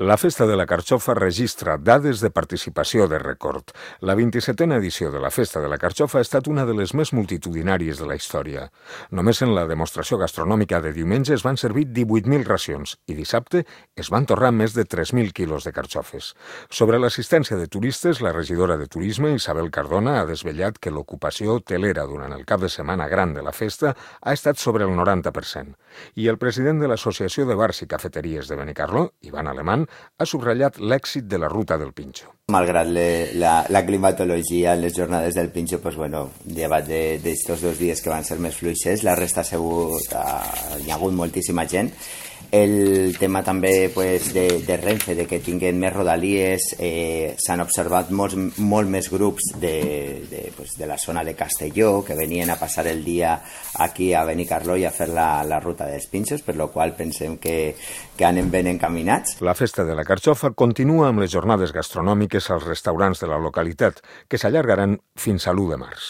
La Festa de la Carxofa registra dades de participació de rècord. La 27a edició de la Festa de la Carxofa ha estat una de les més multitudinàries de la història. Només en la demostració gastronòmica de diumenge es van servir 18.000 racions i dissabte es van torrar més de 3.000 quilos de carxofes. Sobre l'assistència de turistes, la regidora de Turisme, Isabel Cardona, ha desvetllat que l'ocupació hotelera durant el cap de setmana gran de la festa ha estat sobre el 90%. I el president de l'Associació de Bars i Cafeteries de Benicarló, Ivan Alemán, ha subratllat l'èxit de la ruta del Pinxo. Malgrat la climatologia, les jornades del Pinxo, pues bueno, llevat d'estos 2 dies que van ser més fluixers, la resta hi ha hagut moltíssima gent. El tema també pues, de Renfe, de que tinguin més rodalies, s'han observat molt més grups de la zona de Castelló que venien a passar el dia aquí a Benicarló i a fer la ruta dels Pinxos, per la qual pensem que anem ben encaminats. La Festa de la Carxofa continua amb les jornades gastronòmiques als restaurants de la localitat, que s'allargaran fins a l'1 de març.